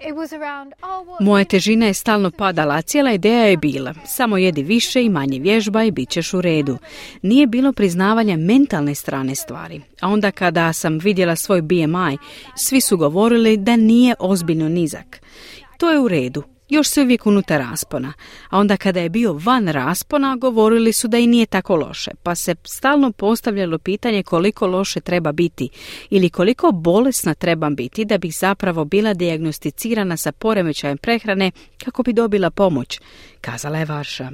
it was around, Moja težina je stalno padala, a cijela ideja je bila, samo jedi više i manje vježba i bit ćeš u redu. Nije bilo priznavanja mentalne strane stvari. A onda kada sam vidjela svoj BMI, svi su govorili da nije ozbiljno nizak. To je u redu. Još se uvijek unutar raspona, a onda kada je bio van raspona govorili su da i nije tako loše, pa se stalno postavljalo pitanje koliko loše treba biti ili koliko bolesna treba biti da bih zapravo bila dijagnosticirana sa poremećajem prehrane kako bi dobila pomoć, kazala je Varša.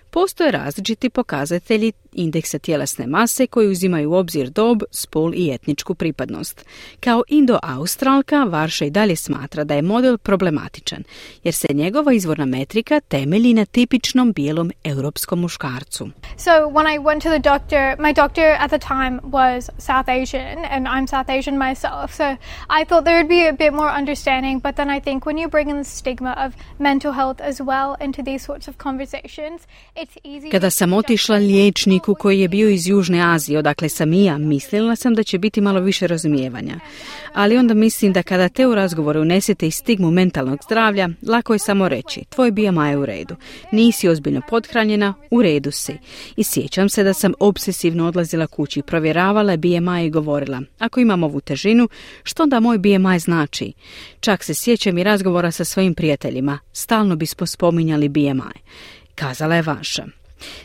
Postoje različiti pokazatelji indeksa tjelesne mase koji uzimaju u obzir dob, spol i etničku pripadnost. Kao Indo-Australka, Varša i dalje smatra da je model problematičan, jer se njegova izvorna metrika temelji na tipičnom bijelom europskom muškarcu. So when I went to the doctor, my doctor at the time was South Asian and I'm South Asian myself. So I thought there would be a bit more understanding, but then I think when you bring in the stigma of mental health as well into these sorts of conversations, it's easy. Kada sam otišla liječniku koji je bio iz Južne Azije, odakle sam i ja, mislila sam da će biti malo više razumijevanja. Ali onda mislim da kada te u razgovoru unesete i stigmu mentalnog zdravlja, lako je samo reći, tvoj BMI je u redu, nisi ozbiljno pothranjena, u redu si. I sjećam se da sam obsesivno odlazila kući, provjeravala BMI i govorila, ako imam ovu težinu, što onda moj BMI znači? Čak se sjećam i razgovora sa svojim prijateljima, stalno bismo spominjali BMI, kazala je Varša.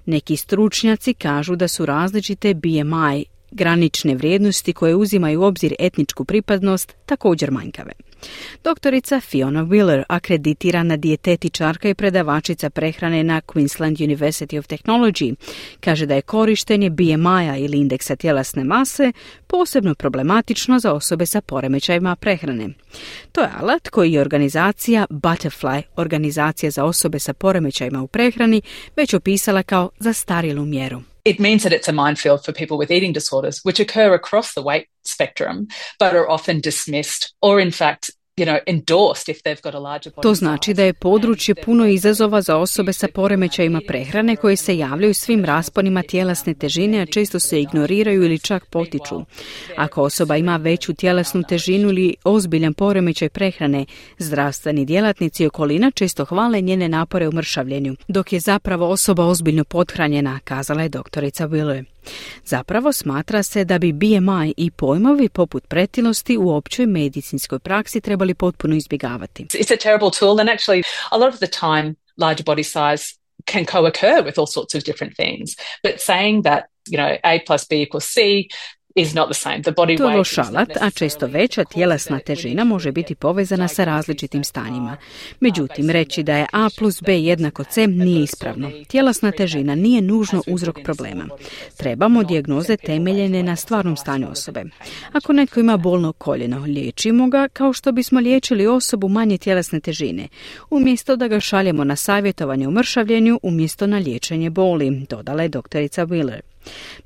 Neki stručnjaci kažu da su različite BMI granične vrijednosti koje uzimaju u obzir etničku pripadnost također manjkave. Doktorica Fiona Wheeler, akreditirana dijetetičarka i predavačica prehrane na Queensland University of Technology, kaže da je korištenje BMI-a ili indeksa tjelesne mase posebno problematično za osobe sa poremećajima prehrane. To je alat koji je organizacija Butterfly, organizacija za osobe sa poremećajima u prehrani, već opisala kao zastarjelu mjeru. It means that it's a minefield for people with eating disorders, which occur across the weight spectrum, but are often dismissed or in fact, endorsed if they've got a larger body. To znači da je područje puno izazova za osobe sa poremećajima prehrane koje se javljaju svim rasponima tjelesne težine, a često se ignoriraju ili čak potiču. Ako osoba ima veću tjelesnu težinu ili ozbiljan poremećaj prehrane, zdravstveni djelatnici i okolina često hvale njene napore u mršavljenju, dok je zapravo osoba ozbiljno pothranjena, kazala je doktorica Wheeler. Zapravo smatra se da bi BMI i pojmovi poput pretilosti u općoj medicinskoj praksi trebali potpuno izbjegavati. It's a terrible tool and actually a lot of the time larger body size can co-occur with all sorts of different things. But saying that, A plus B equals C is not the same. The body to je weight loš alat, a često veća tjelesna težina može biti povezana sa različitim stanjima. Međutim, reći da je A plus B jednako C nije ispravno. Tjelesna težina nije nužno uzrok problema. Trebamo dijagnoze temeljene na stvarnom stanju osobe. Ako netko ima bolno koljeno, liječimo ga kao što bismo liječili osobu manje tjelesne težine, umjesto da ga šaljemo na savjetovanje u mršavljenju umjesto na liječenje boli, dodala je doktorica Wheeler.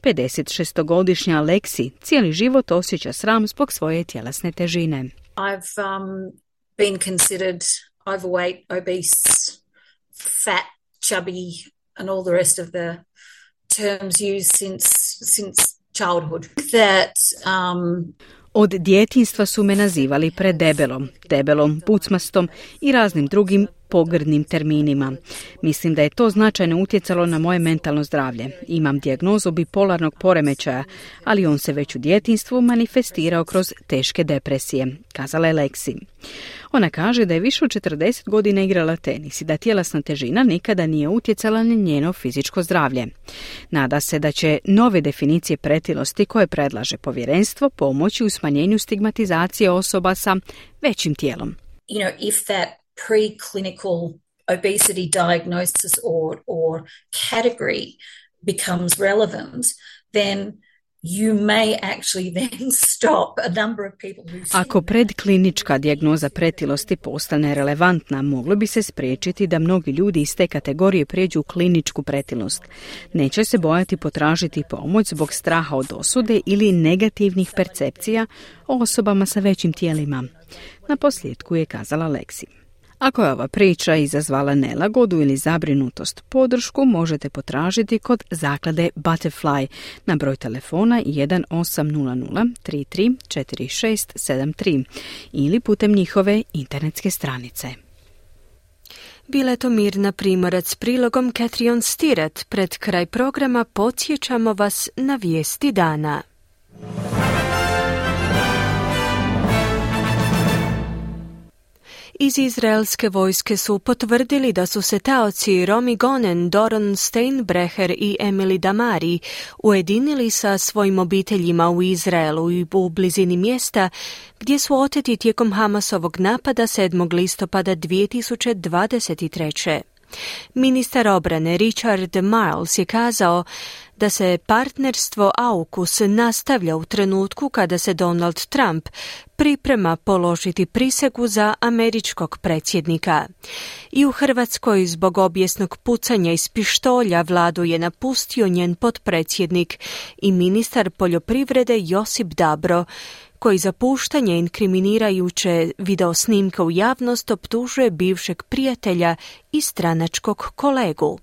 56-godišnja Lexi cijeli život osjeća sram zbog svoje tjelesne težine. I've been considered overweight, obese, fat, chubby and all the rest of the terms used since childhood. Od djetinjstva su me nazivali debelom, pucmastom i raznim drugim pogrdnim terminima. Mislim da je to značajno utjecalo na moje mentalno zdravlje. Imam dijagnozu bipolarnog poremećaja, ali on se već u djetinjstvu manifestirao kroz teške depresije, kazala je Lexi. Ona kaže da je više od 40 godina igrala tenis i da tjelesna težina nikada nije utjecala na njeno fizičko zdravlje. Nada se da će nove definicije pretilosti koje predlaže povjerenstvo pomoći u smanjenju stigmatizacije osoba sa većim tijelom. If that preclinical obesity diagnosis or category becomes relevant, then you may actually then stop a number of people who... Ako predklinička dijagnoza pretilosti postane relevantna, moglo bi se spriječiti da mnogi ljudi iz te kategorije prijeđu u kliničku pretilost. Neće se bojati potražiti pomoć zbog straha od osude ili negativnih percepcija o osobama sa većim tijelima. Na posljedku je kazala Lexi. Ako je ova priča izazvala nelagodu ili zabrinutost, podršku možete potražiti kod zaklade Butterfly na broj telefona 1800 334673 ili putem njihove internetske stranice. Bila je to Mirna Primorac s prilogom Catherine Stirat. Pred kraj programa podsjećamo vas na vijesti dana. Iz izraelske vojske su potvrdili da su se taoci Romi Gonen, Doron Steinbrecher i Emily Damari ujedinili sa svojim obiteljima u Izraelu i u blizini mjesta gdje su oteti tijekom Hamasovog napada 7. listopada 2023. Ministar obrane Richard Marles je kazao da se partnerstvo AUKUS nastavlja u trenutku kada se Donald Trump priprema položiti prisegu za američkog predsjednika. I u Hrvatskoj zbog obijesnog pucanja iz pištolja vladu je napustio njen potpredsjednik i ministar poljoprivrede Josip Dabro, koji za puštanje inkriminirajuće videosnimke u javnost optužuje bivšeg prijatelja i stranačkog kolegu.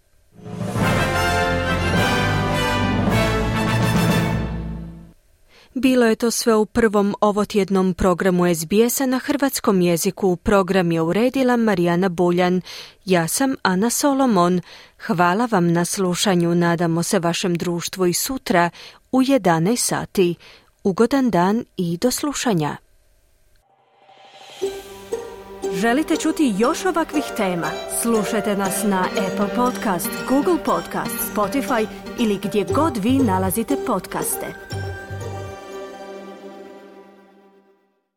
Bilo je to sve u prvom ovotjednom programu SBS-a na hrvatskom jeziku. Program je uredila Marijana Buljan. Ja sam Ana Solomon. Hvala vam na slušanju. Nadamo se vašem društvu i sutra u 11 sati. Ugodan dan i do slušanja. Želite čuti još ovakvih tema? Slušajte nas na Apple Podcast, Google Podcast, Spotify ili gdje god vi nalazite podcaste.